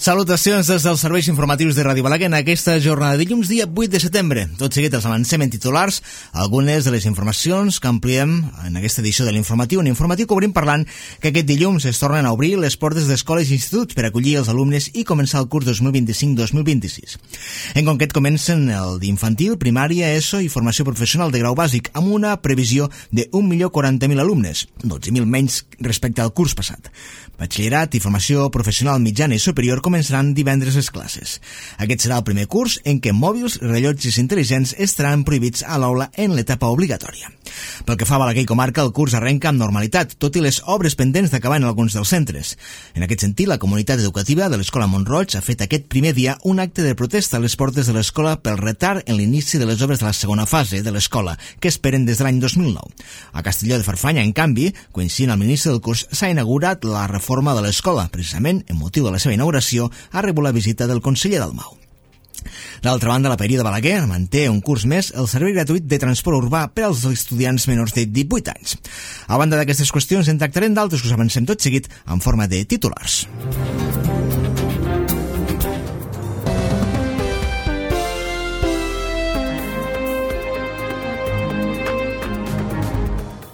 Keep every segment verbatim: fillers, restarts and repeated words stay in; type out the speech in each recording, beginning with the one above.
Salutacions des dels serveis informatius de Ràdio Balaguer en aquesta jornada de dilluns, dia vuit de setembre. Tot seguit els avancem en titulars, algunes de les informacions que ampliem en aquesta edició de l'informatiu. Un informatiu que obrim parlant que aquest dilluns es tornen a obrir les portes d'escoles i instituts per acollir els alumnes i començar el curs dos mil vint-i-cinc dos mil vint-i-sis. En concret comencen el d'infantil, primària, ESO i formació professional de grau bàsic, amb una previsió de un milió quaranta mil alumnes, dotze mil menys respecte al curs passat. Batxillerat i formació professional mitjana i superior començaran divendres les classes. Aquest serà el primer curs en què mòbils i rellotges intel·ligents estaran prohibits a l'aula en l'etapa obligatòria. Pel que fa a Balaguer i comarca, el curs arrenca amb normalitat, tot i les obres pendents d'acabar en alguns dels centres. En aquest sentit, la comunitat educativa de l'Escola Mont-roig ha fet aquest primer dia un acte de protesta a les portes de l'escola pel retard en l'inici de les obres de la segona fase de l'escola, que esperen des de l'any dos mil nou. A Castelló de Farfanya, en canvi, coincidint amb l'inici del curs, s'ha inaugurat la reforma de l'escola. Precisament, en motiu de la seva inauguració, ha rebut la visita del conseller Dalmau. D'altra banda, la Paeria de Balaguer manté un curs més el servei gratuït de transport urbà per als estudiants menors de divuit anys. A banda d'aquestes qüestions, en tractarem d'altres que us avancem tot seguit en forma de titulars.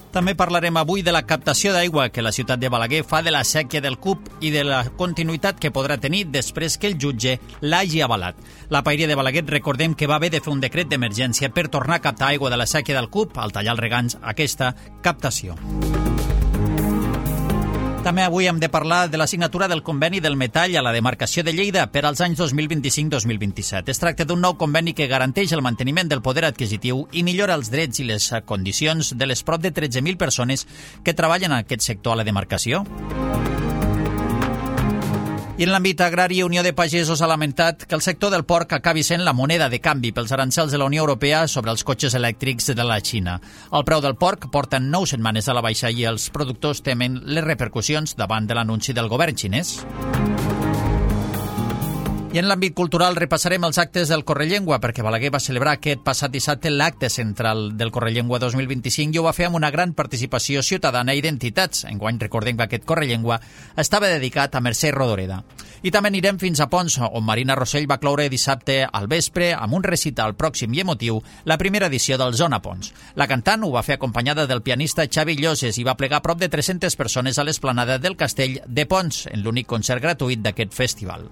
També parlarem avui de la captació d'aigua que la ciutat de Balaguer fa de la sèquia del Cup i de la continuïtat que podrà tenir després que el jutge l'hagi avalat. La Paeria de Balaguer, recordem que va haver de fer un decret d'emergència per tornar a captar aigua de la sèquia del Cup al tallar els regants aquesta captació. També avui hem de parlar de la signatura del conveni del metall a la demarcació de Lleida per als anys dos mil vint-i-cinc dos mil vint-i-set. Es tracta d'un nou conveni que garanteix el manteniment del poder adquisitiu i millora els drets i les condicions de les prop de tretze mil persones que treballen en aquest sector a la demarcació. I en l'àmbit agrari, Unió de Pagesos ha lamentat que el sector del porc acabi sent la moneda de canvi pels arancels de la Unió Europea sobre els cotxes elèctrics de la Xina. El preu del porc porta nou setmanes a la baixa i els productors temen les repercussions davant de l'anunci del govern xinès. I en l'àmbit cultural repassarem els actes del Correllengua, perquè Balaguer va celebrar aquest passat dissabte l'acte central del Correllengua dos mil vint-i-cinc i ho va fer amb una gran participació ciutadana i d'entitats. Enguany recordem que aquest Correllengua estava dedicat a Mercè Rodoreda. I també anirem fins a Pons, on Marina Rossell va cloure dissabte al vespre amb un recital pròxim i emotiu la primera edició del Zona Pons. La cantant ho va fer acompanyada del pianista Xavi Lloses i va plegar prop de tres-centes persones a l'esplanada del Castell de Pons, en l'únic concert gratuït d'aquest festival.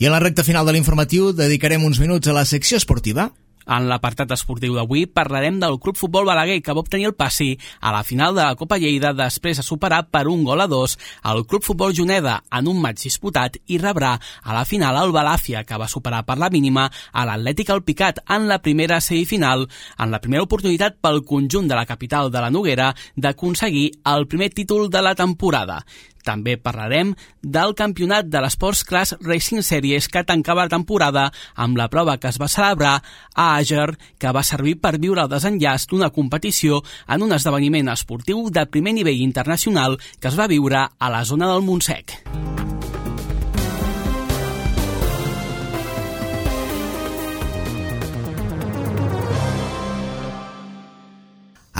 I en la recta final de l'informatiu dedicarem uns minuts a la secció esportiva. En l'apartat esportiu d'avui parlarem del Club Futbol Balaguer, que va obtenir el passi a la final de la Copa Lleida després de superar per un gol a dos el Club Futbol Juneda en un maig disputat i rebrà a la final el Balàfia, que va superar per la mínima a l'Atlètic Alpicat en la primera semifinal, en la primera oportunitat pel conjunt de la capital de la Noguera d'aconseguir el primer títol de la temporada. També parlarem del campionat de l'Sports Class Racing Series que tancava la temporada amb la prova que es va celebrar a Àger, que va servir per viure el desenllaç d'una competició en un esdeveniment esportiu de primer nivell internacional que es va viure a la zona del Montsec.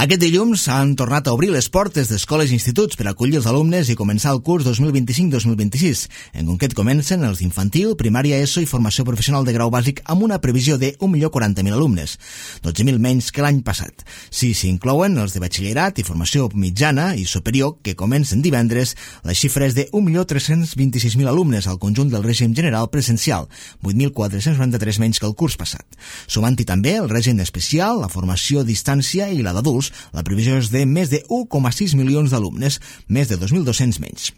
Aquest dilluns han tornat a obrir les portes d'escoles i instituts per acollir els alumnes i començar el curs dos mil vint-i-cinc dos mil vint-i-sis. En concret comencen els d'infantil, primària, ESO i formació professional de grau bàsic amb una previsió de un milió quaranta mil alumnes, dotze mil menys que l'any passat. Si s'inclouen els de batxillerat i formació mitjana i superior, que comencen divendres, la xifra és de un milió tres-cents vint-i-sis mil alumnes al conjunt del règim general presencial, vuit mil quatre-cents noranta-tres menys que el curs passat. Sumant-hi també el règim especial, la formació a distància i la d'adults, la previsió és de més de un coma sis milions d'alumnes, més de dos mil dos-cents menys.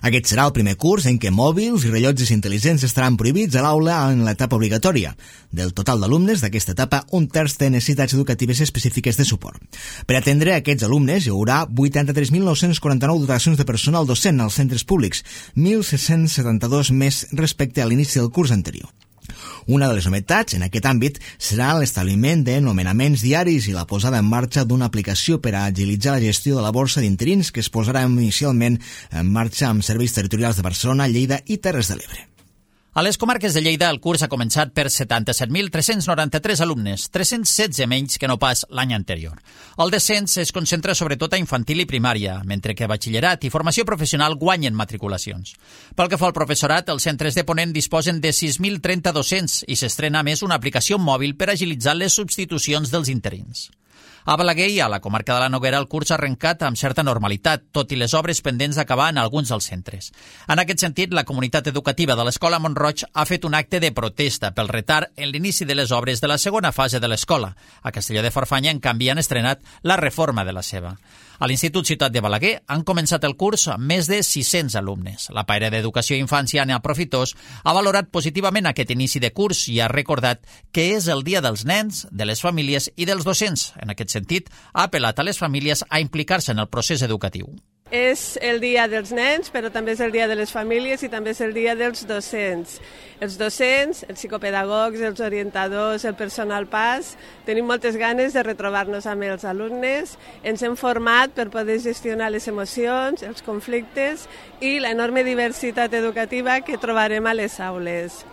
Aquest serà el primer curs en què mòbils i rellotges intel·ligents estaran prohibits a l'aula en l'etapa obligatòria. Del total d'alumnes d'aquesta etapa, un terç té necessitats educatives específiques de suport. Per atendre aquests alumnes hi haurà vuitanta-tres mil nou-cents quaranta-nou dotacions de personal docent als centres públics, mil set-cents setanta-dos més respecte a l'inici del curs anterior. Una de les novetats en aquest àmbit serà l'establiment de nomenaments diaris i la posada en marxa d'una aplicació per a agilitzar la gestió de la borsa d'interins que es posarà inicialment en marxa amb serveis territorials de Barcelona, Lleida i Terres de l'Ebre. A les comarques de Lleida el curs ha començat per setanta-set mil tres-cents noranta-tres alumnes, tres-cents setze menys que no pas l'any anterior. El descens es concentra sobretot a infantil i primària, mentre que batxillerat i formació professional guanyen matriculacions. Pel que fa al professorat, els centres de Ponent disposen de sis mil trenta docents i s'estrena a més una aplicació mòbil per agilitzar les substitucions dels interins. A Balaguer i a la comarca de la Noguera el curs ha arrencat amb certa normalitat, tot i les obres pendents d'acabar en alguns dels centres. En aquest sentit, la comunitat educativa de l'Escola Mont-roig ha fet un acte de protesta pel retard en l'inici de les obres de la segona fase de l'escola. A Castelló de Farfanya, en canvi, han estrenat la reforma de la seva. A l'Institut Ciutat de Balaguer han començat el curs amb més de sis-cents alumnes. La paira d'Educació i Infància, Anna Profitós, ha valorat positivament aquest inici de curs i ha recordat que és el dia dels nens, de les famílies i dels docents. En aquest sentit, ha apel·lat a les famílies a implicar-se en el procés educatiu. És el dia dels nens, però també és el dia de les famílies i també és el dia dels docents. Els docents, els psicopedagogs, els orientadors, el personal P A S, tenim moltes ganes de retrobar-nos amb els alumnes. Ens hem format per poder gestionar les emocions, els conflictes i l'enorme diversitat educativa que trobarem a les aules.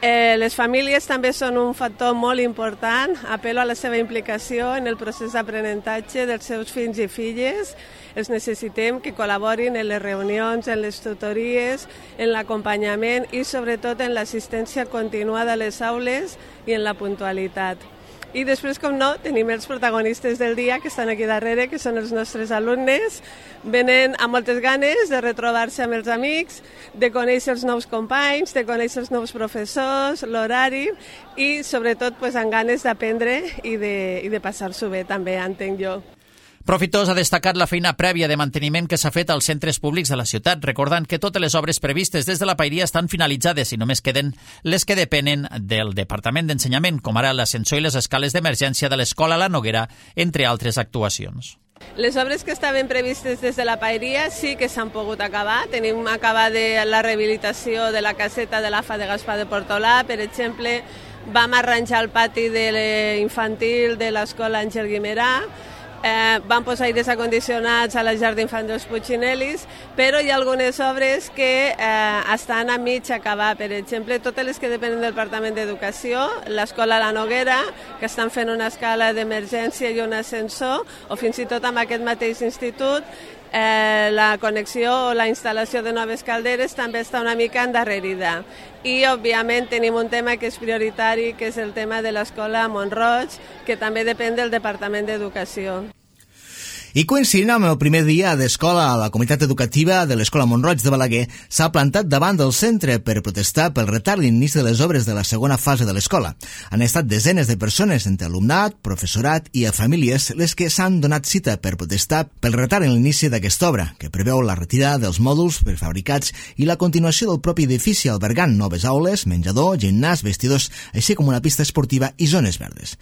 Eh, les famílies també són un factor molt important. Apel·lo a la seva implicació en el procés d'aprenentatge dels seus fills i filles. Els necessitem que col·laborin en les reunions, en les tutories, en l'acompanyament i sobretot en l'assistència continuada a les aules i en la puntualitat. I després, com no, tenim els protagonistes del dia que estan aquí darrere, que són els nostres alumnes. Venen amb moltes ganes de retrobar-se amb els amics, de conèixer els nous companys, de conèixer els nous professors, l'horari i sobretot pues, amb ganes d'aprendre i de, i de passar-s'ho bé també, entenc jo. Profitós ha destacat la feina prèvia de manteniment que s'ha fet als centres públics de la ciutat, recordant que totes les obres previstes des de la Pairia estan finalitzades i només queden les que depenen del Departament d'Ensenyament, com ara l'ascensor i les escales d'emergència de l'Escola La Noguera, entre altres actuacions. Les obres que estaven previstes des de la Pairia sí que s'han pogut acabar. Tenim acabada la rehabilitació de la caseta de l'A F A de Gaspar de Portolà, per exemple, vam arranjar el pati de l'infantil de l'Escola Àngel Guimerà, Eh, van posar aires acondicionats a la llar d'infants dels Puigcinelis, però hi ha algunes obres que eh, estan a mig acabar. Per exemple, totes les que depenen del Departament d'Educació, l'Escola La Noguera, que estan fent una escala d'emergència i un ascensor, o fins i tot amb aquest mateix institut, eh, la connexió o la instal·lació de noves calderes també està una mica endarrerida. I, òbviament, tenim un tema que és prioritari, que és el tema de l'Escola Mont-roig, que també depèn del Departament d'Educació. I coincidint amb el primer dia d'escola, la comunitat educativa de l'Escola Mont-roig de Balaguer s'ha plantat davant del centre per protestar pel retard d'inici de les obres de la segona fase de l'escola. Han estat desenes de persones, entre alumnat, professorat i famílies, les que s'han donat cita per protestar pel retard en l'inici d'aquesta obra, que preveu la retirada dels mòduls prefabricats i la continuació del propi edifici albergant noves aules, menjador, gimnàs, vestidors, així com una pista esportiva i zones verdes.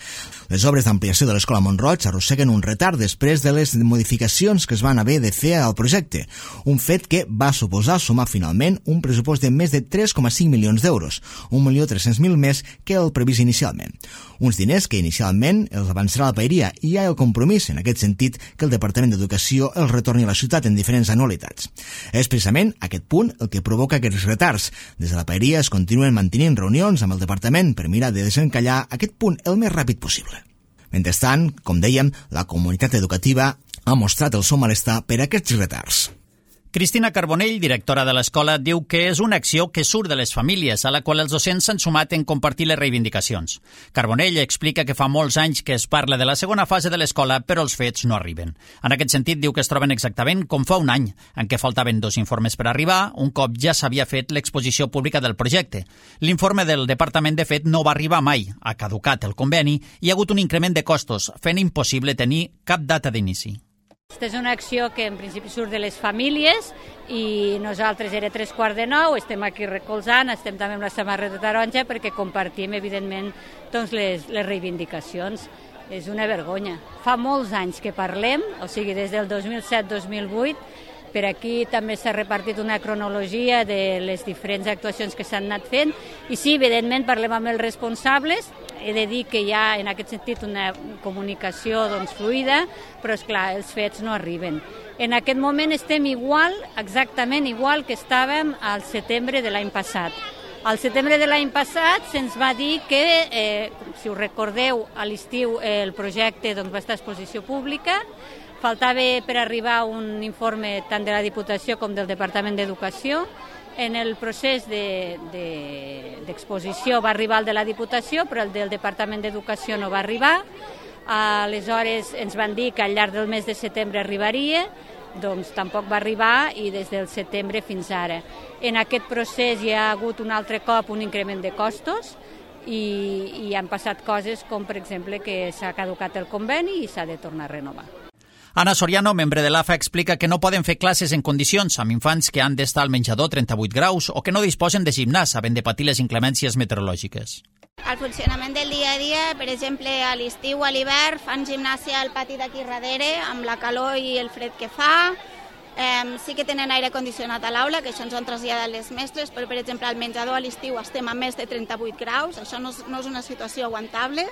Les obres d'ampliació de l'Escola Mont-roig arrosseguen un retard després de les modificacions que es van haver de fer al projecte, un fet que va suposar sumar finalment un pressupost de més de tres coma cinc milions d'euros, un milió tres-cents mil més que el previst inicialment. Uns diners que inicialment els avançarà la Pairia i hi ha el compromís, en aquest sentit, que el Departament d'Educació els retorni a la ciutat en diferents anualitats. És precisament aquest punt el que provoca aquests retards. Des de la Pairia es continuen mantenint reunions amb el Departament per mirar de desencallar aquest punt el més ràpid possible. Mentrestant, com dèiem, la comunitat educativa ha mostrat el seu malestar per aquests retards. Cristina Carbonell, directora de l'escola, diu que és una acció que surt de les famílies, a la qual els docents s'han sumat en compartir les reivindicacions. Carbonell explica que fa molts anys que es parla de la segona fase de l'escola, però els fets no arriben. En aquest sentit, diu que es troben exactament com fa un any, en què faltaven dos informes per arribar, un cop ja s'havia fet l'exposició pública del projecte. L'informe del departament, de fet, no va arribar mai. Ha caducat el conveni i hi ha hagut un increment de costos, fent impossible tenir cap data d'inici. Aquesta és una acció que en principi surt de les famílies i nosaltres era tres quarts de nou, estem aquí recolzant, estem també amb la samarreta taronja perquè compartim, evidentment, doncs les, les reivindicacions. És una vergonya. Fa molts anys que parlem, o sigui, des del dos mil set dos mil vuit, per aquí també s'ha repartit una cronologia de les diferents actuacions que s'han anat fent i sí, evidentment, parlem amb els responsables. He de dir que hi ha en aquest sentit una comunicació doncs, fluida, però és clar, els fets no arriben. En aquest moment estem igual, exactament igual que estàvem al setembre de l'any passat. Al setembre de l'any passat se'ns va dir que, eh, si us recordeu, a l'estiu el projecte doncs, va estar a exposició pública. Faltava per arribar un informe tant de la Diputació com del Departament d'Educació. En el procés d'exposició de, de, va arribar el de la Diputació, però el del Departament d'Educació no va arribar. Aleshores ens van dir que al llarg del mes de setembre arribaria, doncs tampoc va arribar i des del setembre fins ara. En aquest procés hi ha hagut un altre cop un increment de costos i, i han passat coses com, per exemple, que s'ha caducat el conveni i s'ha de tornar a renovar. Ana Soriano, membre de l'A F A, explica que no poden fer classes en condicions amb infants que han d'estar al menjador trenta-vuit graus o que no disposen de gimnàs, havent de patir les inclemències meteorològiques. El funcionament del dia a dia, per exemple, a l'estiu o a l'hivern, fan gimnàsia al pati d'aquí darrere, amb la calor i el fred que fa. Eh, sí que tenen aire condicionat a l'aula, que això ens ho han traslladat les mestres, però, per exemple, al menjador a l'estiu estem a més de trenta-vuit graus. Això no és, no és una situació aguantable.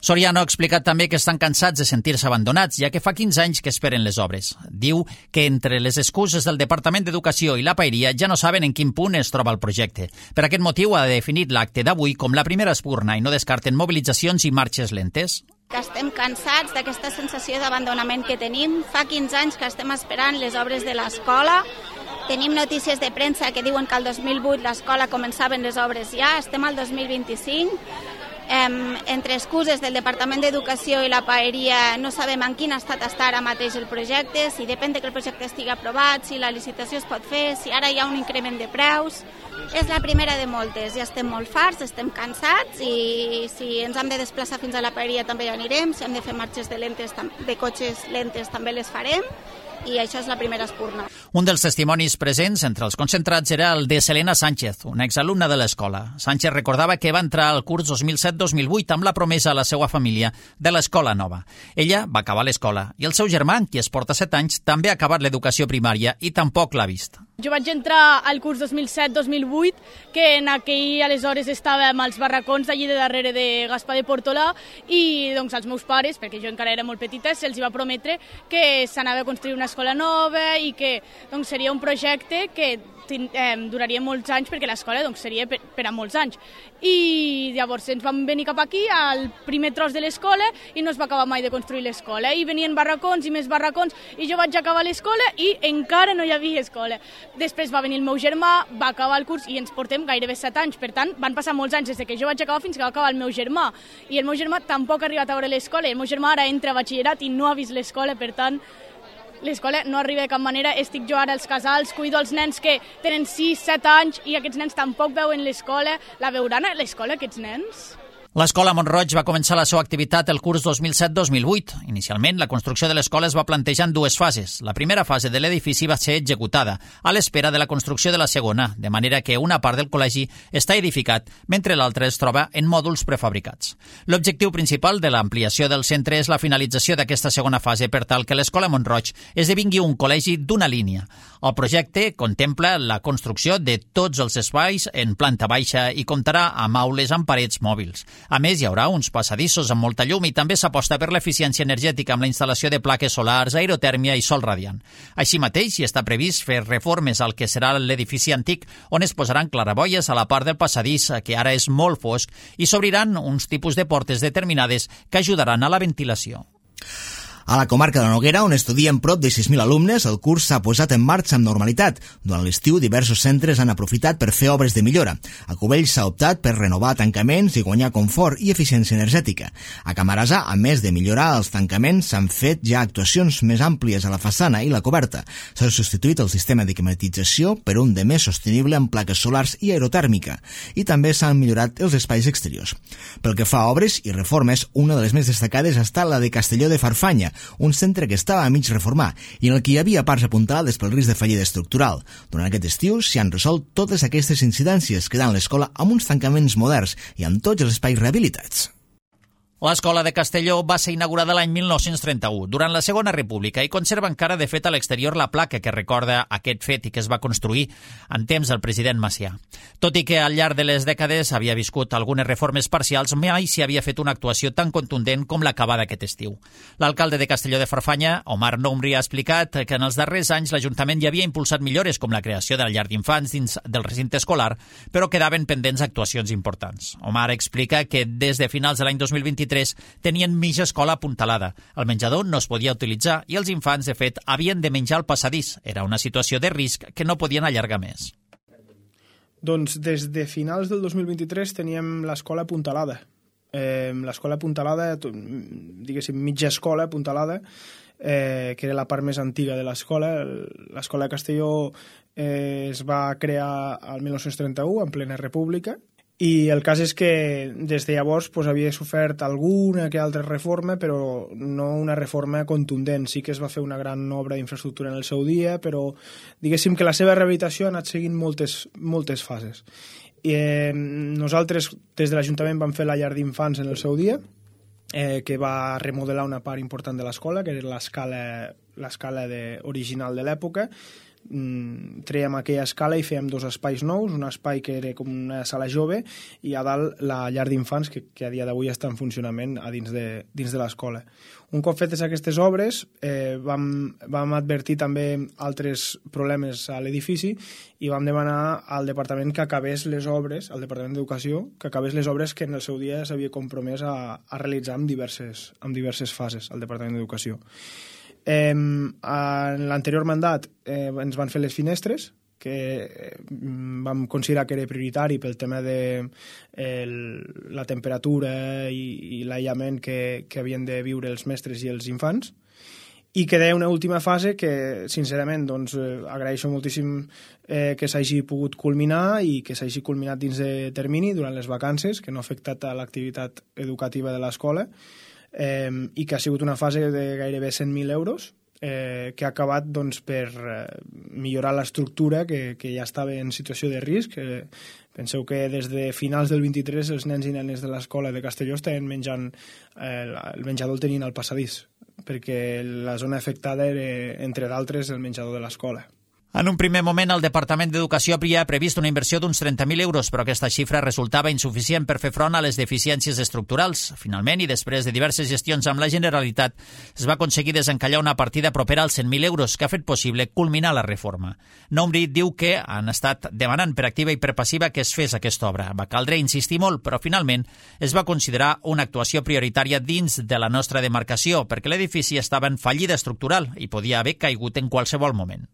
Soriano ha explicat també que estan cansats de sentir-se abandonats, ja que fa quinze anys que esperen les obres. Diu que entre les excuses del Departament d'Educació i la Paeria ja no saben en quin punt es troba el projecte. Per aquest motiu ha definit l'acte d'avui com la primera espurna i no descarten mobilitzacions i marxes lentes. Que estem cansats d'aquesta sensació d'abandonament que tenim. Fa quinze anys que estem esperant les obres de l'escola. Tenim notícies de premsa que diuen que el dos mil vuit l'escola començaven les obres ja. Estem al dos mil vint-i-cinc. Eh, entre excuses del Departament d'Educació i la Paeria no sabem en quin estat està ara mateix el projecte, si depèn de que el projecte estigui aprovat, si la licitació es pot fer, si ara hi ha un increment de preus. És la primera de moltes, ja estem molt farts, estem cansats i si ens hem de desplaçar fins a la Paeria també hi anirem, si hem de fer marxes de, lentes, de cotxes lentes també les farem. I això és la primera espurna. Un dels testimonis presents entre els concentrats era el de Selena Sánchez, una exalumna de l'escola. Sánchez recordava que va entrar al curs dos mil set dos mil vuit amb la promesa a la seva família de l'escola nova. Ella va acabar l'escola i el seu germà, qui es porta set anys, també ha acabat l'educació primària i tampoc l'ha vist. Jo vaig entrar al curs dos mil set dos mil vuit, que en aquell aleshores estàvem als barracons d'allí de darrere de Gaspar de Portolà i doncs als meus pares, perquè jo encara era molt petita, se'ls va prometre que s'anava a construir una escola nova i que doncs, seria un projecte que eh, duraria molts anys perquè l'escola doncs, seria per, per a molts anys. I llavors ens vam venir cap aquí al primer tros de l'escola i no es va acabar mai de construir l'escola. I venien barracons i més barracons i jo vaig acabar l'escola i encara no hi havia escola. Després va venir el meu germà, va acabar el curs i ens portem gairebé set anys. Per tant, van passar molts anys des que jo vaig acabar fins que va acabar el meu germà. I el meu germà tampoc ha arribat a veure l'escola. El meu germà ara entra a batxillerat i no ha vist l'escola, per tant, l'escola no arriba de cap manera. Estic jo ara als casals, cuido els nens que tenen sis set anys i aquests nens tampoc veuen l'escola. La veuran a l'escola, aquests nens? L'escola Mont-roig va començar la seva activitat el curs dos mil set dos mil vuit. Inicialment, la construcció de l'escola es va plantejar en dues fases. La primera fase de l'edifici va ser executada, a l'espera de la construcció de la segona, de manera que una part del col·legi està edificat, mentre l'altra es troba en mòduls prefabricats. L'objectiu principal de l'ampliació del centre és la finalització d'aquesta segona fase per tal que l'escola Mont-roig esdevingui un col·legi d'una línia. El projecte contempla la construcció de tots els espais en planta baixa i comptarà amb aules amb parets mòbils. A més, hi haurà uns passadissos amb molta llum i també s'aposta per l'eficiència energètica amb la instal·lació de plaques solars, aerotèrmia i sol radiant. Així mateix, hi està previst fer reformes al que serà l'edifici antic, on es posaran claraboies a la part del passadís, que ara és molt fosc, i s'obriran uns tipus de portes determinades que ajudaran a la ventilació. A la comarca de la Noguera, on estudien prop de sis mil alumnes, el curs s'ha posat en marxa amb normalitat. Durant l'estiu, diversos centres han aprofitat per fer obres de millora. A Cubells s'ha optat per renovar tancaments i guanyar confort i eficiència energètica. A Camarasa, a més de millorar els tancaments, s'han fet ja actuacions més àmplies a la façana i la coberta. S'ha substituït el sistema de climatització per un de més sostenible amb plaques solars i aerotèrmica. I també s'han millorat els espais exteriors. Pel que fa a obres i reformes, una de les més destacades ha estat la de Castelló de Farfanya, un centre que estava a mig reformar i en el que hi havia parts apuntalades pel risc de fallida estructural. Durant aquest estiu s'hi han resolt totes aquestes incidències, quedant l'escola amb uns tancaments moderns i amb tots els espais rehabilitats. L'escola de Castelló va ser inaugurada l'any mil nou-cents trenta-u, durant la Segona República, i conserva encara, de fet, a l'exterior la placa que recorda aquest fet i que es va construir en temps del president Macià. Tot i que al llarg de les dècades havia viscut algunes reformes parcials, mai s'hi havia fet una actuació tan contundent com l'acabada aquest estiu. L'alcalde de Castelló de Farfanya, Omar Noumri, ha explicat que en els darrers anys l'Ajuntament ja havia impulsat millores com la creació de la llar d'infants dins del recinte escolar, però quedaven pendents actuacions importants. Omar explica que des de finals de l'any dos mil vint-i-tres tenien mitja escola apuntalada. El menjador no es podia utilitzar i els infants, de fet, havien de menjar al passadís. Era una situació de risc que no podien allargar més. Doncs des de finals del dos mil vint-i-tres teníem l'escola apuntalada. Eh, l'escola apuntalada, diguéssim, mitja escola apuntalada, eh, que era la part més antiga de l'escola. L'escola de Castelló eh, es va crear al mil nou-cents trenta-u, en plena república, i el cas és que des de llavors pues, havia sofert alguna que altra reforma, però no una reforma contundent. Sí que es va fer una gran obra d'infraestructura en el seu dia, però diguéssim que la seva rehabilitació ha anat seguint moltes, moltes fases. I, eh, nosaltres des de l'Ajuntament vam fer la llar d'infants en el seu dia, eh, que va remodelar una part important de l'escola, que era l'escala l'escala de, original de l'època. Mm, trèiem aquella escala i fèiem dos espais nous, un espai que era com una sala jove i a dalt la llar d'infants que, que a dia d'avui està en funcionament a dins de, dins de l'escola. Un cop fetes aquestes obres eh, vam, vam advertir també altres problemes a l'edifici i vam demanar al departament que acabés les obres, al Departament d'Educació, que acabés les obres que en el seu dia s'havia compromès a, a realitzar en diverses, en diverses fases al Departament d'Educació. Eh, en l'anterior mandat eh, ens van fer les finestres, que eh, vam considerar que era prioritari pel tema de eh, la temperatura i, i l'aïllament que, que havien de viure els mestres i els infants, i queda una última fase que, sincerament, doncs, eh, agraeixo moltíssim eh, que s'hagi pogut culminar i que s'hagi culminat dins de termini durant les vacances, que no ha afectat a l'activitat educativa de l'escola, Eh, i que ha sigut una fase de gairebé cent mil euros eh, que ha acabat doncs, per eh, millorar l'estructura que, que ja estava en situació de risc. Eh, penseu que des de finals del vint-i-tres els nens i nenes de l'escola de Castelló estaven menjant, eh, el menjador el tenien al passadís, perquè la zona afectada era, entre d'altres, el menjador de l'escola. En un primer moment, el Departament d'Educació havia previst una inversió d'uns trenta mil euros, però aquesta xifra resultava insuficient per fer front a les deficiències estructurals. Finalment, i després de diverses gestions amb la Generalitat, es va aconseguir desencallar una partida propera als cent mil euros, que ha fet possible culminar la reforma. Noumri diu que han estat demanant per activa i per passiva que es fes aquesta obra. Va caldre insistir molt, però finalment es va considerar una actuació prioritària dins de la nostra demarcació, perquè l'edifici estava en fallida estructural i podia haver caigut en qualsevol moment.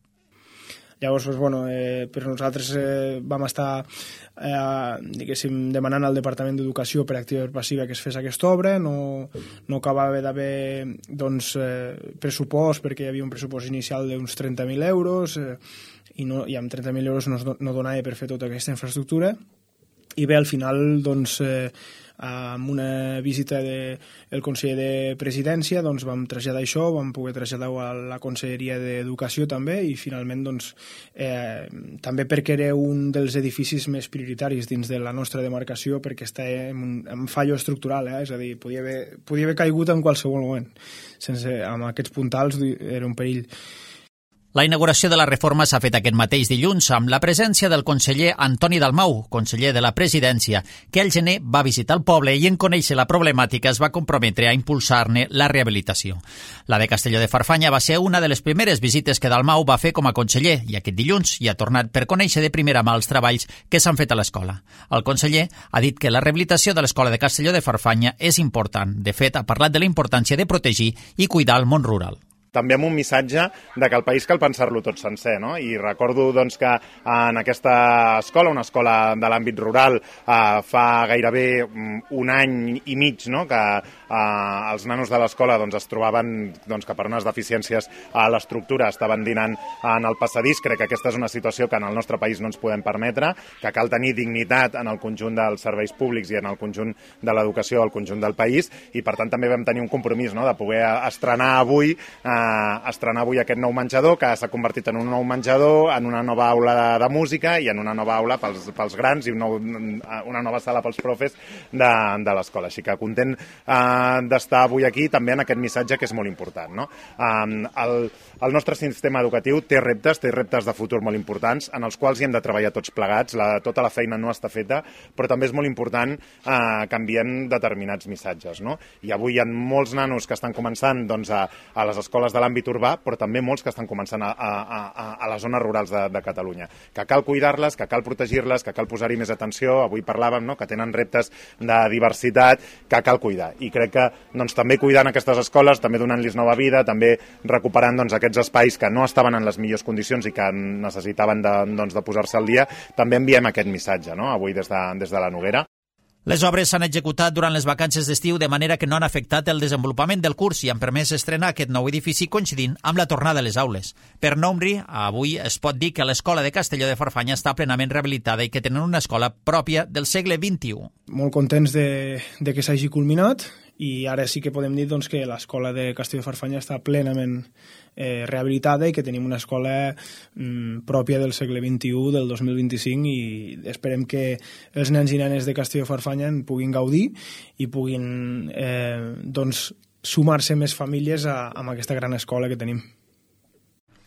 Llavors, doncs, bueno, eh, per nosaltres eh, vam estar eh, diguéssim, demanant al Departament d'Educació per activa i per passiva que es fes aquesta obra. No, no acabava d'haver doncs, eh, pressupost, perquè hi havia un pressupost inicial d'uns trenta mil euros eh, i, no, i amb trenta mil euros no, no donava per fer tota aquesta infraestructura. I bé, al final, doncs, eh, amb una visita del de, conseller de Presidència, doncs, vam traslladar això, vam poder traslladar a la Conselleria d'Educació també, i finalment, doncs, eh, també perquè era un dels edificis més prioritaris dins de la nostra demarcació, perquè està en un en fallo estructural, eh? És a dir, podia haver, podia haver caigut en qualsevol moment. Sense, amb aquests puntals era un perill. La inauguració de la reforma s'ha fet aquest mateix dilluns amb la presència del conseller Antoni Dalmau, conseller de la Presidència, que al gener va visitar el poble i en conèixer la problemàtica es va comprometre a impulsar-ne la rehabilitació. La de Castelló de Farfanya va ser una de les primeres visites que Dalmau va fer com a conseller i aquest dilluns hi ha tornat per conèixer de primera mà els treballs que s'han fet a l'escola. El conseller ha dit que la rehabilitació de l'escola de Castelló de Farfanya és important. De fet, ha parlat de la importància de protegir i cuidar el món rural. També amb un missatge de que el país cal pensar-lo tot sencer, no? I recordo doncs, que en aquesta escola, una escola de l'àmbit rural, eh, fa gairebé un any i mig, no? Que eh, els nanos de l'escola doncs, es trobaven doncs, que per unes deficiències a l'estructura estaven dinant en el passadís. Crec que aquesta és una situació que en el nostre país no ens podem permetre, que cal tenir dignitat en el conjunt dels serveis públics i en el conjunt de l'educació al conjunt del país, i per tant també vam tenir un compromís, no? De poder estrenar avui eh, eh, estrenar avui aquest nou menjador, que s'ha convertit en un nou menjador, en una nova aula de, de música i en una nova aula pels, pels grans i un nou, una nova sala pels profes de, de l'escola. Així que content eh, d'estar avui aquí també en aquest missatge que és molt important, no? Eh, el, el nostre sistema educatiu té reptes, té reptes de futur molt importants, en els quals hi hem de treballar tots plegats. La, tota la feina no està feta, però també és molt important eh, que enviem determinats missatges, no? I avui hi ha molts nanos que estan començant doncs, a, a les escoles de l'àmbit urbà, però també molts que estan començant a, a, a, a les zones rurals de, de Catalunya. Que cal cuidar-les, que cal protegir-les, que cal posar-hi més atenció. Avui parlàvem, no?, que tenen reptes de diversitat, que cal cuidar. I crec que doncs, també cuidant aquestes escoles, també donant-los nova vida, també recuperant doncs, aquests espais que no estaven en les millors condicions i que necessitaven de, doncs, de posar-se al dia, també enviem aquest missatge, no?, avui des de, des de la Noguera. Les obres s'han executat durant les vacances d'estiu de manera que no han afectat el desenvolupament del curs i han permès estrenar aquest nou edifici coincidint amb la tornada a les aules. Per nombre, avui es pot dir que l'escola de Castelló de Farfanya està plenament rehabilitada i que tenen una escola pròpia del segle vint-i-u. Molt contents de, de que s'hagi culminat i ara sí que podem dir doncs, que l'escola de Castelló de Farfanya està plenament eh, rehabilitada i que tenim una escola mm, pròpia del segle vint-i-u, del dos mil vint-i-cinc, i esperem que els nens i nenes de Castelló de Farfanya en puguin gaudir i puguin eh, doncs, sumar-se més famílies a, a aquesta gran escola que tenim.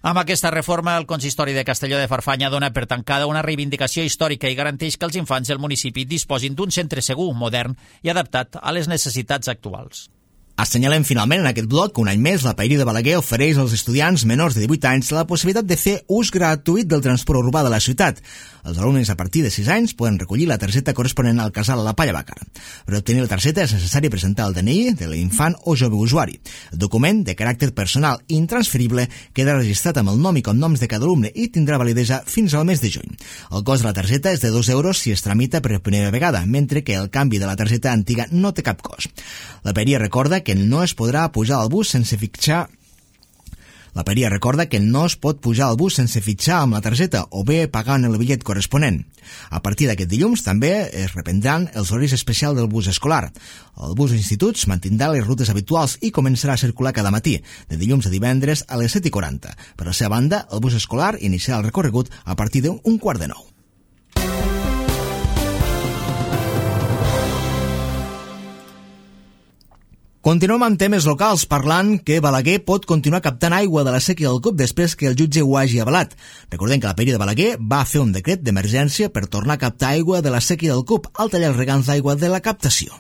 Amb aquesta reforma, el consistori de Castelló de Farfanya dona per tancada una reivindicació històrica i garanteix que els infants del municipi disposin d'un centre segur, modern i adaptat a les necessitats actuals. Assenyalem finalment en aquest bloc que un any més la Paeria de Balaguer ofereix als estudiants menors de divuit anys la possibilitat de fer ús gratuït del transport urbà de la ciutat. Els alumnes a partir de sis anys poden recollir la targeta corresponent al casal a la Palla Bàcar. Per obtenir la targeta és necessari presentar el D N I de l'infant o jove usuari. El document, de caràcter personal i intransferible, queda registrat amb el nom i cognoms de cada alumne i tindrà validesa fins al mes de juny. El cost de la targeta és de dos euros si es tramita per primera vegada, mentre que el canvi de la targeta antiga no té cap cost. La Paeria recorda que no es podrà pujar al bus sense fitxar La Paeria recorda que no es pot pujar al bus sense fitxar amb la targeta o bé pagant el bitllet corresponent. A partir d'aquest dilluns també es reprendran els horaris especials del bus escolar. El bus d'instituts mantindrà les rutes habituals i començarà a circular cada matí, de dilluns a divendres a les set i quaranta. Per la seva banda, el bus escolar iniciarà el recorregut a partir d'un quart de nou. Continuem amb temes locals, parlant que Balaguer pot continuar captant aigua de la sèquia del Cup després que el jutge ho hagi avalat. Recordem que la Paeria de Balaguer va fer un decret d'emergència per tornar a captar aigua de la sèquia del Cup al tallar els regants d'aigua de la captació.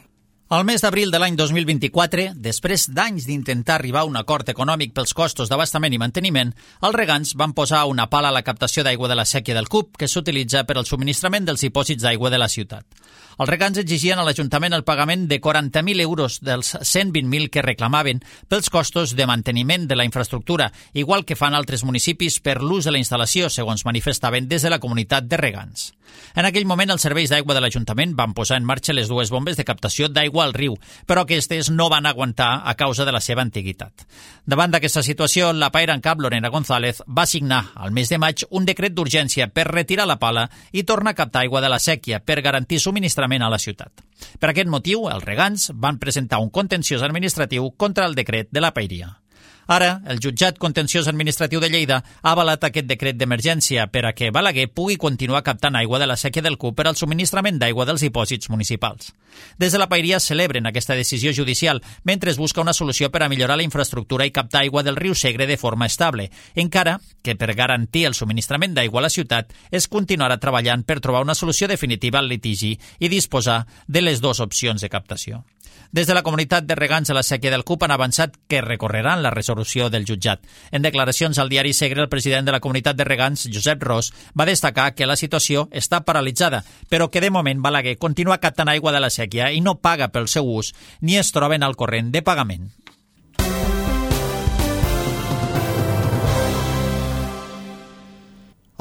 Al mes d'abril de l'any dos mil vint-i-quatre, després d'anys d'intentar arribar a un acord econòmic pels costos d'abastament i manteniment, els regants van posar una pala a la captació d'aigua de la sèquia del Cup, que s'utilitza per al subministrament dels dipòsits d'aigua de la ciutat. Els regants exigien a l'Ajuntament el pagament de quaranta mil euros dels cent vint mil que reclamaven pels costos de manteniment de la infraestructura, igual que fan altres municipis per l'ús de la instal·lació, segons manifestaven des de la comunitat de regants. En aquell moment, els serveis d'aigua de l'Ajuntament van posar en marxa les dues bombes de captació d'aigua al riu, però aquestes no van aguantar a causa de la seva antiguitat. Davant d'aquesta situació, la paera en cap, Lorena González, va signar al mes de maig un decret d'urgència per retirar la pala i tornar a captar aigua de la sèquia per garantir subministrament a la ciutat. Per aquest motiu, els regants van presentar un contenciós administratiu contra el decret de la paeria. Ara, el jutjat contenciós administratiu de Lleida ha avalat aquest decret d'emergència per a que Balaguer pugui continuar captant aigua de la sèquia del Cup per al subministrament d'aigua dels dipòsits municipals. Des de la paeria celebren aquesta decisió judicial mentre es busca una solució per a millorar la infraestructura i captar aigua del riu Segre de forma estable, encara que per garantir el subministrament d'aigua a la ciutat es continuarà treballant per trobar una solució definitiva al litigi i disposar de les dues opcions de captació. Des de la comunitat de regants de la sèquia del Cup han avançat que recorreran la resolució del jutjat. En declaracions al diari Segre, el president de la comunitat de regants, Josep Ros, va destacar que la situació està paralitzada, però que de moment Balaguer continua captant aigua de la sèquia i no paga pel seu ús ni es troben al corrent de pagament.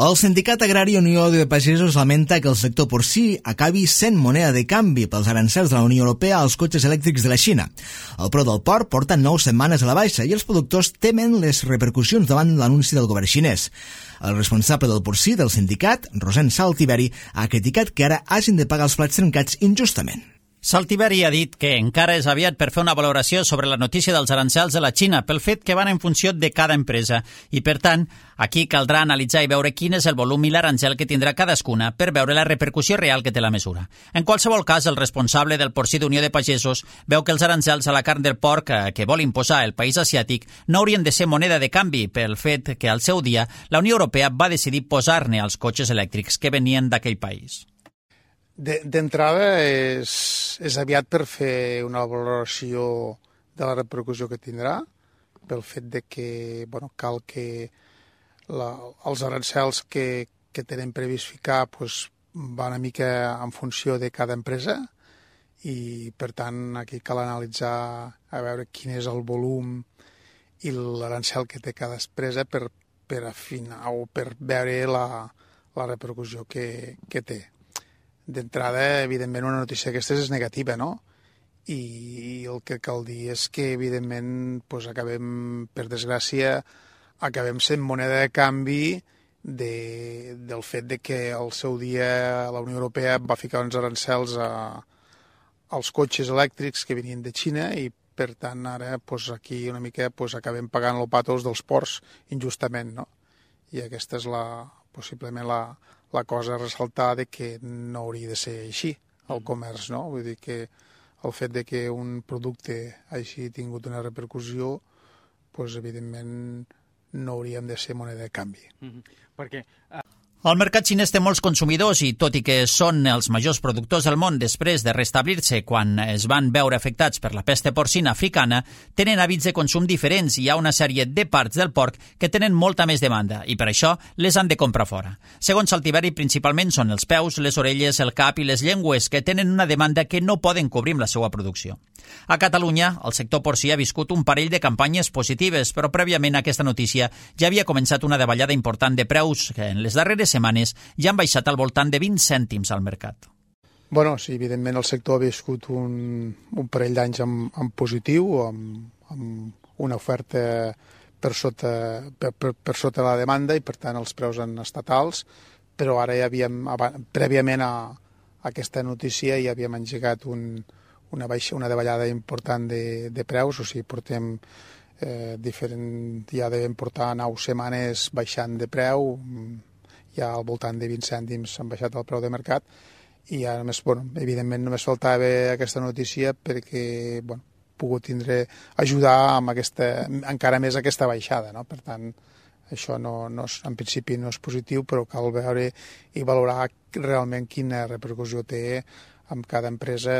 El Sindicat Agrari Unió de Pagesos lamenta que el sector porcí acabi sent moneda de canvi pels arancels de la Unió Europea als cotxes elèctrics de la Xina. El preu del porc porta nou setmanes a la baixa i els productors temen les repercussions davant l'anunci del govern xinès. El responsable del porcí del sindicat, Rosent Saltiberi, ha criticat que ara hagin de pagar els plats trencats injustament. Saltiveri ha dit que encara és aviat per fer una valoració sobre la notícia dels arancels de la Xina pel fet que van en funció de cada empresa i, per tant, aquí caldrà analitzar i veure quin és el volum i l'arancel que tindrà cadascuna per veure la repercussió real que té la mesura. En qualsevol cas, el responsable del porcí d'Unió de Pagesos veu que els arancels a la carn del porc que vol imposar el país asiàtic no haurien de ser moneda de canvi pel fet que al seu dia la Unió Europea va decidir posar-ne als cotxes elèctrics que venien d'aquell país. D'entrada és, és aviat per fer una valoració de la repercussió que tindrà, pel fet de que bueno, cal que la, els arancels que, que tenen previst ficar pues, van una mica en funció de cada empresa i per tant aquí cal analitzar a veure quin és el volum i l'arancel que té cada empresa per, per afinar o per veure la, la repercussió que, que té. D'entrada, evidentment, una notícia d'aquestes és negativa, no? I el que cal dir és que, evidentment, doncs acabem, per desgràcia, acabem sent moneda de canvi de, del fet de que al seu dia la Unió Europea va ficar uns arancels a, als cotxes elèctrics que venien de Xina i, per tant, ara doncs, aquí una mica doncs, acabem pagant el patos dels ports injustament, no? I aquesta és la, possiblement la, la cosa a ressaltar de que no hauria de ser així el comerç, no? Vull dir que el fet de que un producte hagi tingut una repercussió, doncs, evidentment, no hauríem de ser moneda de canvi. Mm-hmm. Perquè... Uh... El mercat xinès té molts consumidors i, tot i que són els majors productors del món després de restablir-se quan es van veure afectats per la pesta porcina africana, tenen hàbits de consum diferents i hi ha una sèrie de parts del porc que tenen molta més demanda i per això les han de comprar fora. Segons Saltiveri, principalment són els peus, les orelles, el cap i les llengües que tenen una demanda que no poden cobrir amb la seva producció. A Catalunya, el sector porcí ha viscut un parell de campanyes positives, però prèviament a aquesta notícia ja havia començat una davallada important de preus que en les darreres setmanes ja han baixat al voltant de vint cèntims al mercat. Bueno, sí, evidentment el sector ha viscut un, un parell d'anys en, en positiu, amb, amb una oferta per sota, per, per, per sota la demanda i per tant els preus han estat alts, però ara ja havíem, prèviament a, a aquesta notícia ja havíem engegat un, una, baixa, una davallada important de, de preus, o sigui, portem eh, diferent, ja devem portar nou setmanes baixant de preu, ja al voltant de vint cèntims han baixat el preu de mercat i ara només, bueno, evidentment només faltava aquesta notícia perquè bueno, pogut tindre, ajudar amb aquesta, encara més aquesta baixada, no? Per tant, això no, no és, en principi no és positiu, però cal veure i valorar realment quina repercussió té amb cada empresa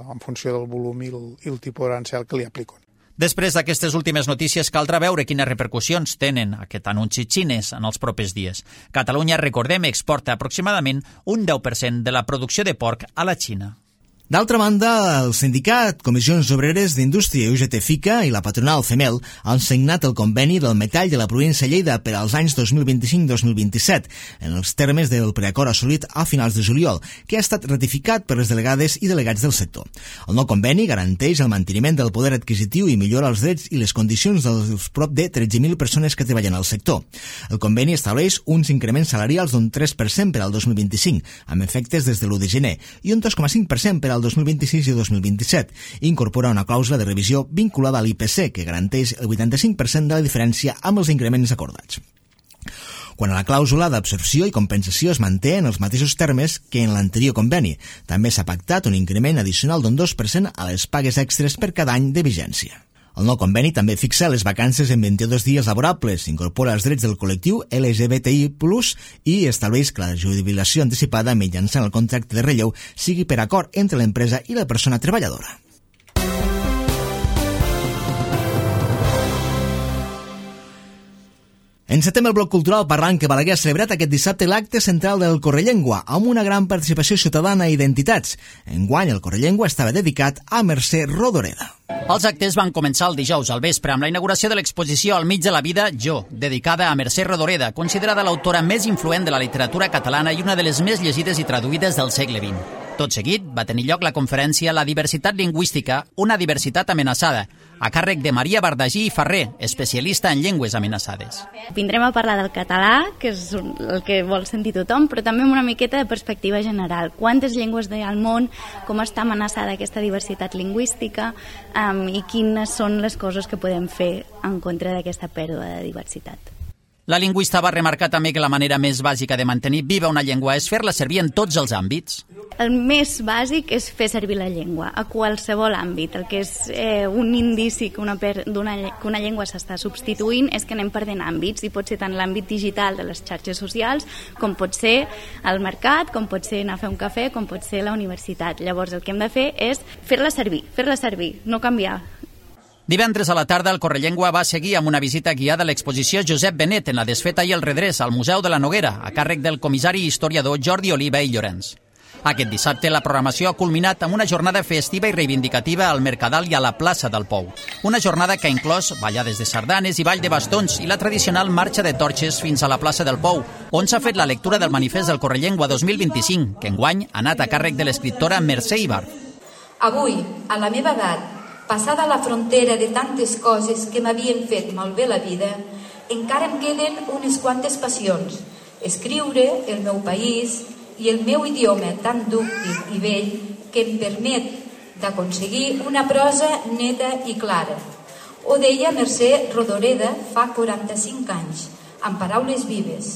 en funció del volum i el, i el tipus d'arancel que li apliquen. Després d'aquestes últimes notícies, caldrà veure quines repercussions tenen aquest anunci xinès en els propers dies. Catalunya, recordem, exporta aproximadament un deu per cent de la producció de porc a la Xina. D'altra banda, el sindicat Comissions Obreres d'Indústria U G T FICA i la patronal CEMEL han signat el conveni del metall de la província de Lleida per als anys dos mil vint-i-cinc dos mil vint-i-set, en els termes del preacord assolit a finals de juliol, que ha estat ratificat per les delegades i delegats del sector. El nou conveni garanteix el manteniment del poder adquisitiu i millora els drets i les condicions dels prop de tretze mil persones que treballen al sector. El conveni estableix uns increments salarials d'un tres per cent per al dos mil vint-i-cinc, amb efectes des de l'u de gener, i un dos coma cinc per cent per al dos mil vint-i-sis i dos mil vint-i-set. Incorpora una clàusula de revisió vinculada a l'I P C que garanteix el vuitanta-cinc per cent de la diferència amb els increments acordats. Quan a la clàusula d'absorció i compensació es manté en els mateixos termes que en l'anterior conveni. També s'ha pactat un increment addicional d'un dos per cent a les pagues extres per cada any de vigència. El nou conveni també fixa les vacances en vint-i-dos dies laborables, incorpora els drets del col·lectiu L G B T I plus, i estableix que la jubilació anticipada mitjançant el contracte de relleu sigui per acord entre l'empresa i la persona treballadora. Encetem el bloc cultural parlant que Balaguer ha celebrat aquest dissabte l'acte central del Correllengua, amb una gran participació ciutadana i identitats. Enguany, el Correllengua estava dedicat a Mercè Rodoreda. Els actes van començar el dijous al vespre amb la inauguració de l'exposició Al mig de la vida, Jo, dedicada a Mercè Rodoreda, considerada l'autora més influent de la literatura catalana i una de les més llegides i traduïdes del segle vint. Tot seguit va tenir lloc la conferència La diversitat lingüística, una diversitat amenaçada, a càrrec de Maria Bardagí i Ferrer, especialista en llengües amenaçades. Vindrem a parlar del català, que és el que vol sentir tothom, però també amb una miqueta de perspectiva general. Quantes llengües hi ha al món, com està amenaçada aquesta diversitat lingüística um, i quines són les coses que podem fer en contra d'aquesta pèrdua de diversitat. La lingüista va remarcar també que la manera més bàsica de mantenir viva una llengua és fer-la servir en tots els àmbits. El més bàsic és fer servir la llengua a qualsevol àmbit. El que és eh, un indici que una, per, que una llengua s'està substituint és que anem perdent àmbits, i pot ser tant l'àmbit digital de les xarxes socials, com pot ser el mercat, com pot ser anar a fer un cafè, com pot ser la universitat. Llavors el que hem de fer és fer-la servir, fer-la servir, no canviar. Divendres a la tarda, el Correllengua va seguir amb una visita guiada a l'exposició Josep Benet en la desfeta i el redrés al Museu de la Noguera, a càrrec del comissari i historiador Jordi Oliva i Llorenç. Aquest dissabte la programació ha culminat amb una jornada festiva i reivindicativa al Mercadal i a la plaça del Pou. Una jornada que ha inclòs ballades de sardanes i ball de bastons i la tradicional marxa de torxes fins a la plaça del Pou, on s'ha fet la lectura del manifest del Correllengua dos mil vint-i-cinc, que enguany ha anat a càrrec de l'escriptora Mercè Ibar. Avui, a la meva edat, passada la frontera de tantes coses que m'havien fet malbé la vida, encara em queden unes quantes passions. Escriure, el meu país i el meu idioma tan dúctil i vell que em permet d'aconseguir una prosa neta i clara. Ho deia Mercè Rodoreda fa quaranta-cinc anys, amb paraules vives.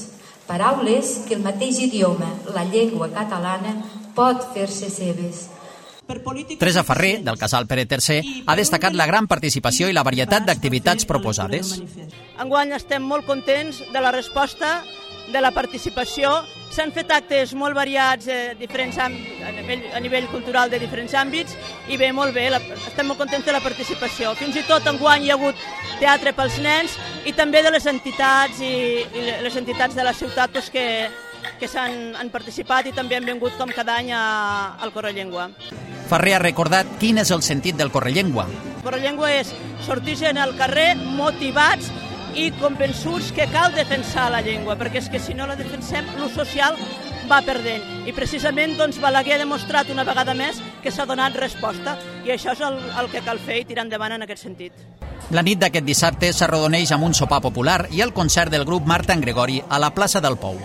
Paraules que el mateix idioma, la llengua catalana, pot fer-se seves. Teresa Ferrer, del Casal Pere tercer, ha destacat la gran participació i la varietat d'activitats proposades. Enguany estem molt contents de la resposta, de la participació. S'han fet actes molt variats eh, diferents a, nivell, a nivell cultural de diferents àmbits i bé, molt bé, la, estem molt contents de la participació. Fins i tot enguany hi ha hagut teatre pels nens i també de les entitats i, i les entitats de la ciutat doncs, que, que s'han han participat i també han vingut com cada any a, al Correllengua. Ferrer ha recordat quin és el sentit del Correllengua. El Correllengua és sortir en el carrer motivats i convençuts que cal defensar la llengua, perquè és que si no la defensem, l'ús social va perdent. I precisament doncs, Balaguer ha demostrat una vegada més que s'ha donat resposta, i això és el, el que cal fer i tirar endavant en aquest sentit. La nit d'aquest dissabte s'arrodoneix amb un sopar popular i el concert del grup Marta en Gregori a la plaça del Pou.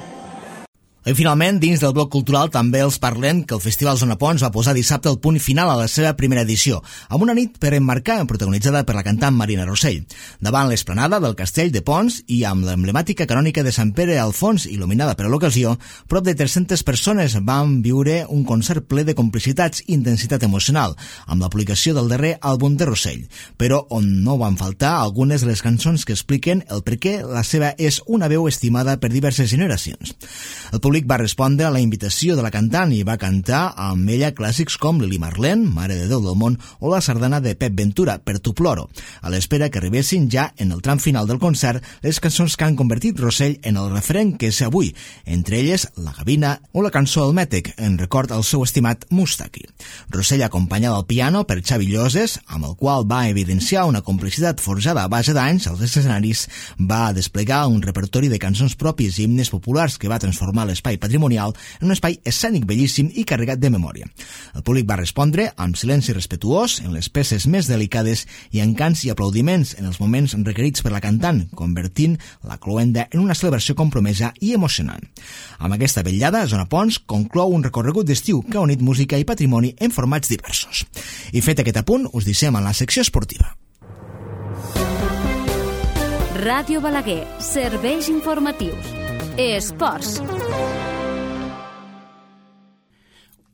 I finalment, dins del bloc cultural també els parlem que el Festival Zona Pons va posar dissabte el punt final a la seva primera edició, amb una nit per emmarcar protagonitzada per la cantant Marina Rossell. Davant l'esplanada del Castell de Pons i amb l'emblemàtica canònica de Sant Pere al fons, il·luminada per a l'ocasió, prop de tres-centes persones van viure un concert ple de complicitats i intensitat emocional, amb l'aplicació del darrer àlbum de Rossell, però on no van faltar algunes de les cançons que expliquen el per què la seva és una veu estimada per diverses generacions. El públic va respondre a la invitació de la cantant i va cantar amb ella clàssics com Lili Marlene, Mare de Déu del món, o la sardana de Pep Ventura, Per tu ploro, a l'espera que arribessin ja en el tram final del concert les cançons que han convertit Rossell en el referent que és avui, entre elles La Gavina o la cançó El Mètec, en record al seu estimat Mustaki. Rossell acompanyada al piano per Xavi Lloses, amb el qual va evidenciar una complicitat forjada a base d'anys als escenaris, va desplegar un repertori de cançons propis i himnes populars que va transformar les espai patrimonial en un espai escènic bellíssim i carregat de memòria. El públic va respondre amb silenci respetuós en les peces més delicades i en cants i aplaudiments en els moments requerits per la cantant, convertint la cloenda en una celebració compromesa i emocionant. Amb aquesta vetllada, Zona Pons conclou un recorregut d'estiu que ha unit música i patrimoni en formats diversos. I fet aquest apunt, us deixem en la secció esportiva. Ràdio Balaguer, serveis informatius. Esports.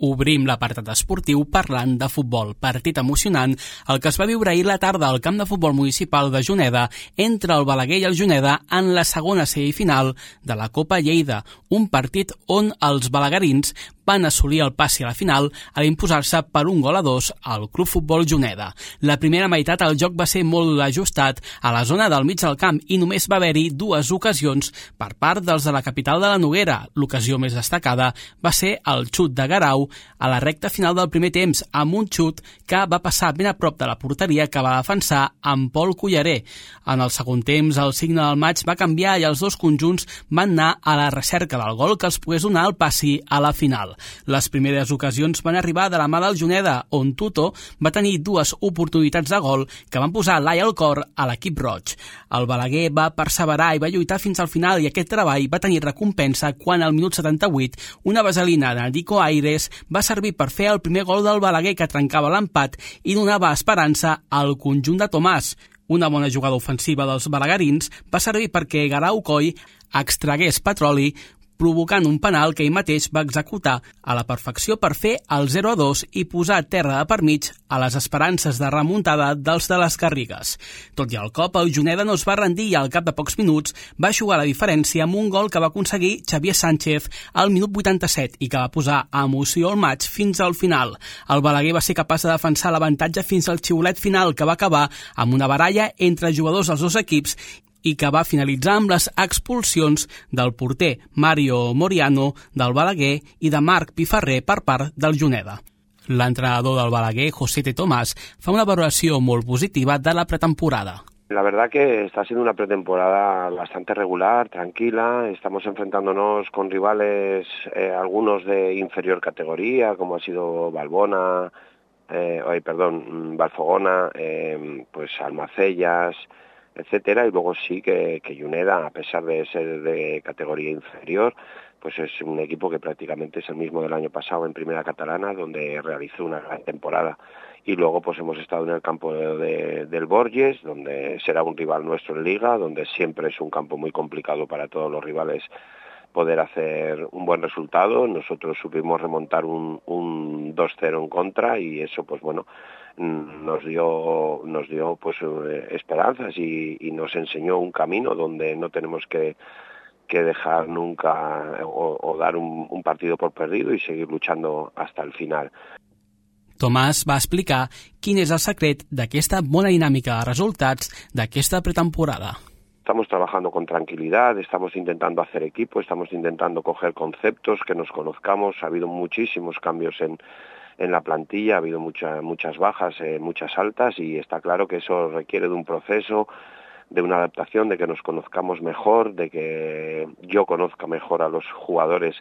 Obrim l'apartat esportiu parlant de futbol. Partit emocionant el que es va viure ahir la tarda al camp de futbol municipal de Juneda entre el Balaguer i el Juneda en la segona semifinal de la Copa Lleida, un partit on els balaguerins van assolir el passi a la final a imposar-se per un gol a dos al Club Futbol Juneda. La primera meitat el joc va ser molt ajustat a la zona del mig del camp i només va haver-hi dues ocasions per part dels de la capital de la Noguera. L'ocasió més destacada va ser el xut de Garau u a la recta final del primer temps amb un xut que va passar ben a prop de la porteria que va defensar amb Pol Culleré. En el segon temps el signe del maig va canviar i els dos conjunts van anar a la recerca del gol que els pogués donar el passi a la final. Les primeres ocasions van arribar de la mà del Juneda, on Tuto va tenir dues oportunitats de gol que van posar l'ai al cor a l'equip roig. El Balaguer va perseverar i va lluitar fins al final i aquest treball va tenir recompensa quan al minut setanta-vuit una vaselina de Nico Aires va servir per fer el primer gol del Balaguer que trencava l'empat i donava esperança al conjunt de Tomàs. Una bona jugada ofensiva dels balaguerins va servir perquè Garau Coll extragués petroli provocant un penal que ell mateix va executar a la perfecció per fer el zero a dos i posar terra de per mig a les esperances de remuntada dels de les Garrigues. Tot i el cop, el Juneda no es va rendir i al cap de pocs minuts va jugar la diferència amb un gol que va aconseguir Xavier Sánchez al minut vuitanta-set i que va posar emoció al maig fins al final. El Balaguer va ser capaç de defensar l'avantatge fins al xiulet final que va acabar amb una baralla entre jugadors dels dos equips i que va finalitzar amb les expulsions del porter Mario Moriano del Balaguer i de Marc Piferrer per part del Juneda. L'entrenador del Balaguer, José T. Tomàs, fa una valoració molt positiva de la pretemporada. La verdad que está siendo una pretemporada bastante regular, tranquila. Estamos enfrentándonos con rivales, eh, algunos de inferior categoría, como ha sido Balbona, eh, ay, perdón, Valfogona, eh, pues Almacellas, etcétera, y luego sí que, que Juneda, a pesar de ser de categoría inferior, pues es un equipo que prácticamente es el mismo del año pasado en Primera Catalana, donde realizó una gran temporada. Y luego pues hemos estado en el campo de, de, del Borges, donde será un rival nuestro en Liga, donde siempre es un campo muy complicado para todos los rivales poder hacer un buen resultado. Nosotros supimos remontar un, un dos cero en contra y eso pues bueno nos dio nos dio pues eh, esperanzas y, y nos enseñó un camino donde no tenemos que, que dejar nunca o, o dar un, un partido por perdido y seguir luchando hasta el final. Tomàs va explicar quin és el secret d'aquesta bona dinàmica de resultats d'aquesta pretemporada. Estamos trabajando con tranquilidad, estamos intentando hacer equipo, estamos intentando coger conceptos, que nos conozcamos. Ha habido muchísimos cambios en en la plantilla, ha habido mucha, muchas bajas, eh, muchas altas y está claro que eso requiere de un proceso, de una adaptación, de que nos conozcamos mejor, de que yo conozca mejor a los jugadores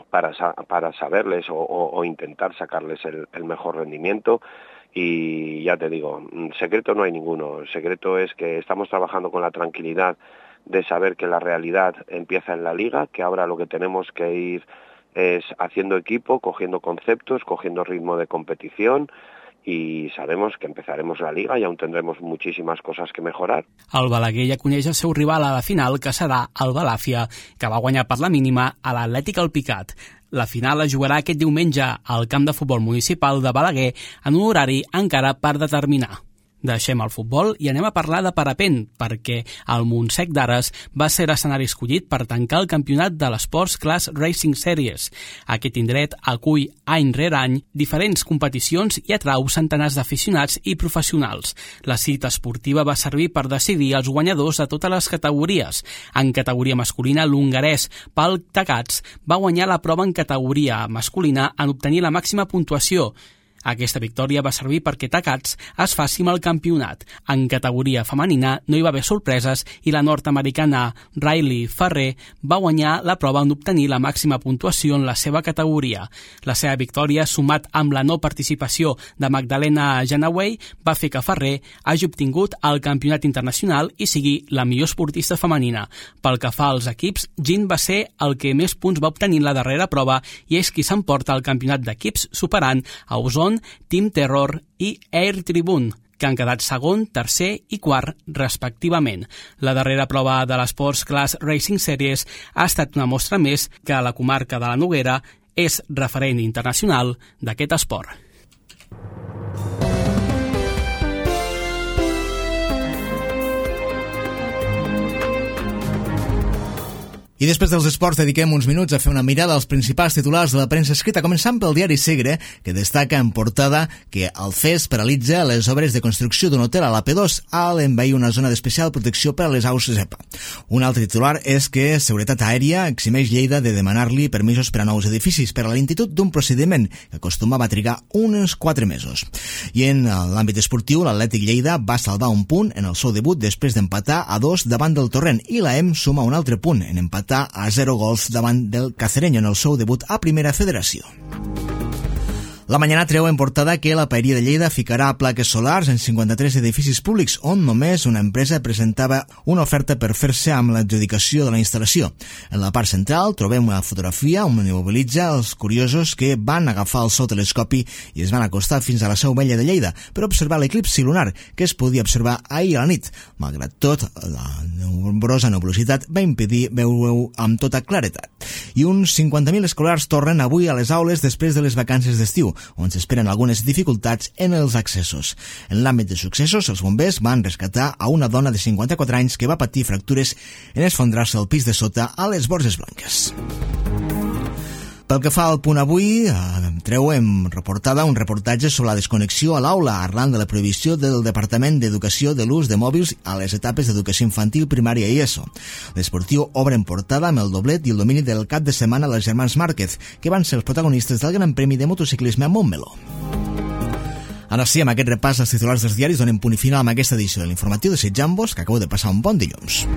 para, para saberles o, o, o intentar sacarles el, el mejor rendimiento. Y ya te digo, secreto no hay ninguno, el secreto es que estamos trabajando con la tranquilidad de saber que la realidad empieza en la Liga, que ahora lo que tenemos que ir es haciendo equipo, cogiendo conceptos, cogiendo ritmo de competición y sabemos que empezaremos la Liga y aún tendremos muchísimas cosas que mejorar. El Balaguer ja coneix el seu rival a la final, que serà el Balàfia, que va guanyar per la mínima a l'Atlètic Alpicat. La final es jugarà aquest diumenge al camp de futbol municipal de Balaguer en un horari encara per determinar. Deixem el futbol i anem a parlar de parapent, perquè el Montsec d'Ares va ser l'escenari escollit per tancar el campionat de l'Sports Class Racing Series. Aquest indret acull any rere any diferents competicions i atrau centenars d'aficionats i professionals. La cita esportiva va servir per decidir els guanyadors de totes les categories. En categoria masculina, l'hongarès Pal Takats va guanyar la prova en categoria masculina en obtenir la màxima puntuació. Aquesta victòria va servir perquè Takats es faci amb el campionat. En categoria femenina no hi va haver sorpreses i la nord-americana Riley Ferrer va guanyar la prova en obtenir la màxima puntuació en la seva categoria. La seva victòria, sumat amb la no participació de Magdalena Janaway, va fer que Ferrer hagi obtingut el campionat internacional i sigui la millor esportista femenina. Pel que fa als equips, Gin va ser el que més punts va obtenir en la darrera prova i és qui s'emporta el campionat d'equips superant a Ozone, Team Terror i Air Tribune, que han quedat segon, tercer i quart, respectivament. La darrera prova de l'Sports Class Racing Series ha estat una mostra més que la comarca de la Noguera és referent internacional d'aquest esport. I després dels esports dediquem uns minuts a fer una mirada als principals titulars de la premsa escrita, començant pel diari Segre, que destaca en portada que el C E S paralitza les obres de construcció d'un hotel a la P dos al envair una zona d'especial protecció per a les aus zepa. Un altre titular és que Seguretat Aèria eximeix Lleida de demanar-li permisos per a nous edificis per a la lentitud d'un procediment que acostumava a trigar uns quatre mesos. I en l'àmbit esportiu, l'Atlètic Lleida va salvar un punt en el seu debut després d'empatar a dos davant del Torrent i la E M suma un altre punt en empatar a zero gols davant del Cacereño en el seu debut a Primera Federació. La Mañana treu en portada que la Paeria de Lleida ficarà plaques solars en cinquanta-tres edificis públics on només una empresa presentava una oferta per fer-se amb l'adjudicació de la instal·lació. En la part central trobem una fotografia on mobilitza els curiosos que van agafar el seu telescopi i es van acostar fins a la Seu Vella de Lleida per observar l'eclipsi lunar que es podia observar ahir a la nit. Malgrat tot, la nombrosa nebulositat va impedir veure-ho amb tota claretat. I uns cinquanta mil escolars tornen avui a les aules després de les vacances d'estiu, on s'esperen algunes dificultats en els accessos. En l'àmbit de successos, els bombers van rescatar a una dona de cinquanta-quatre anys que va patir fractures en esfondrar-se al pis de sota a les Borges Blanques. Pel que fa al punt avui, eh, treuem reportada un reportatge sobre la desconnexió a l'aula arran de la prohibició del Departament d'Educació de l'ús de mòbils a les etapes d'educació infantil, primària i ESO. L'Esportiu obre en portada amb el doblet i el domini del cap de setmana dels germans Márquez, que van ser els protagonistes del Gran Premi de Motociclisme a Montmeló. Ara sí, amb aquest repàs als titulars dels diaris donem punt i final amb aquesta edició de l'informatiu de Sitjambos, que acabo de passar un bon dilluns.